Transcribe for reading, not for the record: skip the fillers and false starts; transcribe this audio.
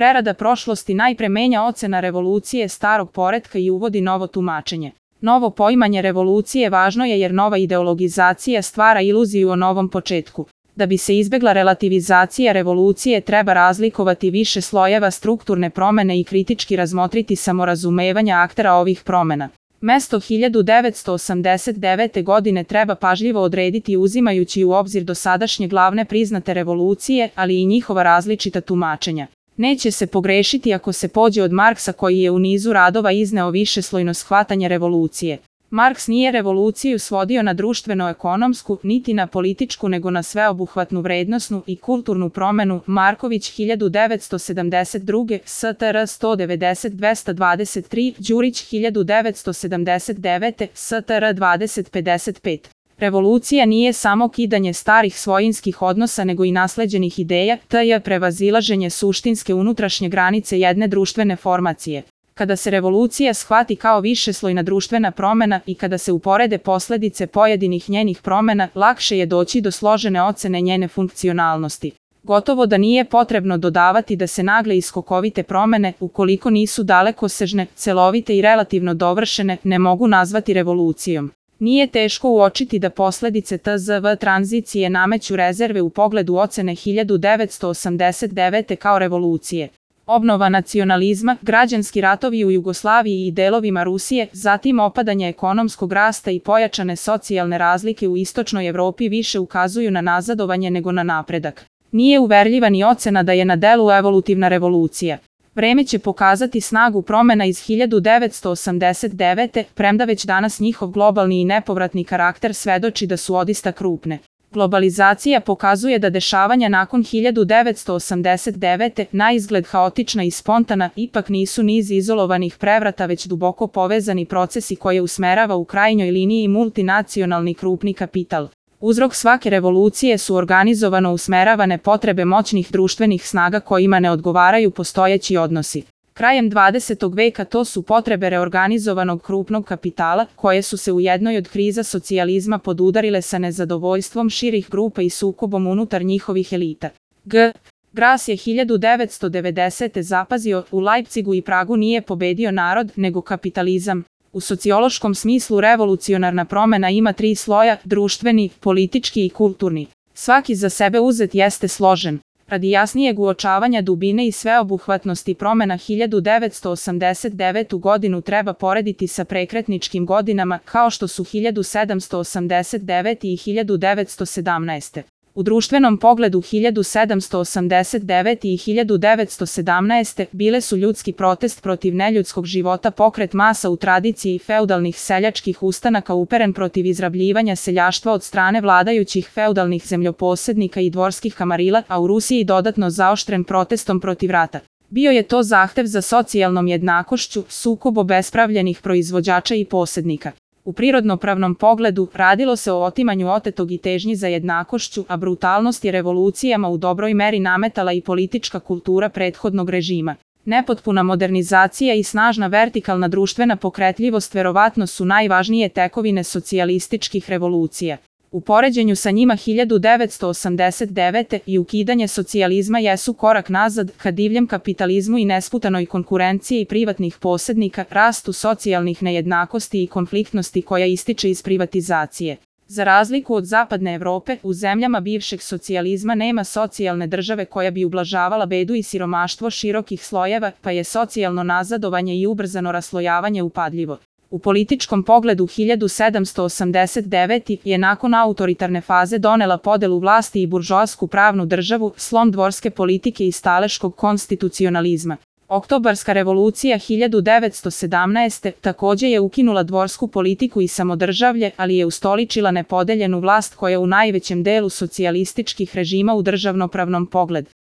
Prerada prošlosti najpre menja ocena revolucije starog poretka i uvodi novo tumačenje. Novo poimanje revolucije važno je jer nova ideologizacija stvara iluziju o novom početku. Da bi se izbegla relativizacija revolucije treba razlikovati više slojeva strukturne promene i kritički razmotriti samorazumevanja aktera ovih promena. Mesto 1989. godine treba pažljivo odrediti uzimajući u obzir dosadašnje glavne priznate revolucije, ali i njihova različita tumačenja. Neće se pogrešiti ako se pođe od Marksa koji je u nizu radova izneo višeslojno shvatanje revolucije. Marks nije revoluciju svodio na društveno-ekonomsku, niti na političku nego na sveobuhvatnu vrednosnu i kulturnu promenu. Marković 1972, STR 190-223, Đurić 1979, STR 2055. Revolucija nije samo kidanje starih svojinskih odnosa nego i nasleđenih ideja, te je prevazilaženje suštinske unutrašnje granice jedne društvene formacije. Kada se revolucija shvati kao višeslojna društvena promena i kada se uporede posledice pojedinih njenih promena, lakše je doći do složene ocene njene funkcionalnosti. Gotovo da nije potrebno dodavati da se nagle i skokovite promene, ukoliko nisu dalekosežne, celovite i relativno dovršene, ne mogu nazvati revolucijom. Nije teško uočiti da posledice TZV tranzicije nameću rezerve u pogledu ocene 1989. kao revolucije. Obnova nacionalizma, građanski ratovi u Jugoslaviji i delovima Rusije, zatim opadanje ekonomskog rasta i pojačane socijalne razlike u istočnoj Evropi više ukazuju na nazadovanje nego na napredak. Nije uverljiva ni ocena da je na delu evolutivna revolucija. Vreme će pokazati snagu promena iz 1989. premda već danas njihov globalni i nepovratni karakter svedoči da su odista krupne. Globalizacija pokazuje da dešavanja nakon 1989. naizgled haotična i spontana ipak nisu niz izolovanih prevrata već duboko povezani procesi koje usmerava u krajnjoj liniji multinacionalni krupni kapital. Uzrok svake revolucije su organizovano usmeravane potrebe moćnih društvenih snaga kojima ne odgovaraju postojeći odnosi. Krajem 20. veka to su potrebe reorganizovanog krupnog kapitala, koje su se u jednoj od kriza socijalizma podudarile sa nezadovoljstvom širih grupa i sukobom unutar njihovih elita. Gras je 1990. zapazio, u Leipzigu i Pragu nije pobedio narod, nego kapitalizam. U sociološkom smislu revolucionarna promena ima 3 sloja, društveni, politički i kulturni. Svaki za sebe uzet jeste složen. Radi jasnijeg uočavanja dubine i sveobuhvatnosti promena 1989. godinu treba porediti sa prekretničkim godinama kao što su 1789. i 1917. U društvenom pogledu 1789. i 1917. bile su ljudski protest protiv neljudskog života, pokret masa u tradiciji feudalnih seljačkih ustanaka uperen protiv izrabljivanja seljaštva od strane vladajućih feudalnih zemljoposednika i dvorskih kamarila, a u Rusiji dodatno zaoštren protestom protiv rata. Bio je to zahtev za socijalnom jednakošću, sukob obespravljenih proizvođača i posednika. U prirodnopravnom pogledu radilo se o otimanju otetog i težnji za jednakošću, a brutalnost je revolucijama u dobroj meri nametala i politička kultura prethodnog režima. Nepotpuna modernizacija i snažna vertikalna društvena pokretljivost verovatno su najvažnije tekovine socijalističkih revolucija. U poređenju sa njima 1989. i ukidanje socijalizma jesu korak nazad ka divljem kapitalizmu i nesputanoj konkurenciji privatnih posednika, rastu socijalnih nejednakosti i konfliktnosti koja ističe iz privatizacije. Za razliku od zapadne Evrope, u zemljama bivšeg socijalizma nema socijalne države koja bi ublažavala bedu i siromaštvo širokih slojeva, pa je socijalno nazadovanje i ubrzano raslojavanje upadljivo. U političkom pogledu 1789. je nakon autoritarne faze donela podelu vlasti i buržoasku pravnu državu, slom dvorske politike i staleškog konstitucionalizma. Oktobarska revolucija 1917. takođe je ukinula dvorsku politiku i samodržavlje, ali je ustoličila nepodeljenu vlast koja u najvećem delu socijalističkih režima u državnopravnom pogledu.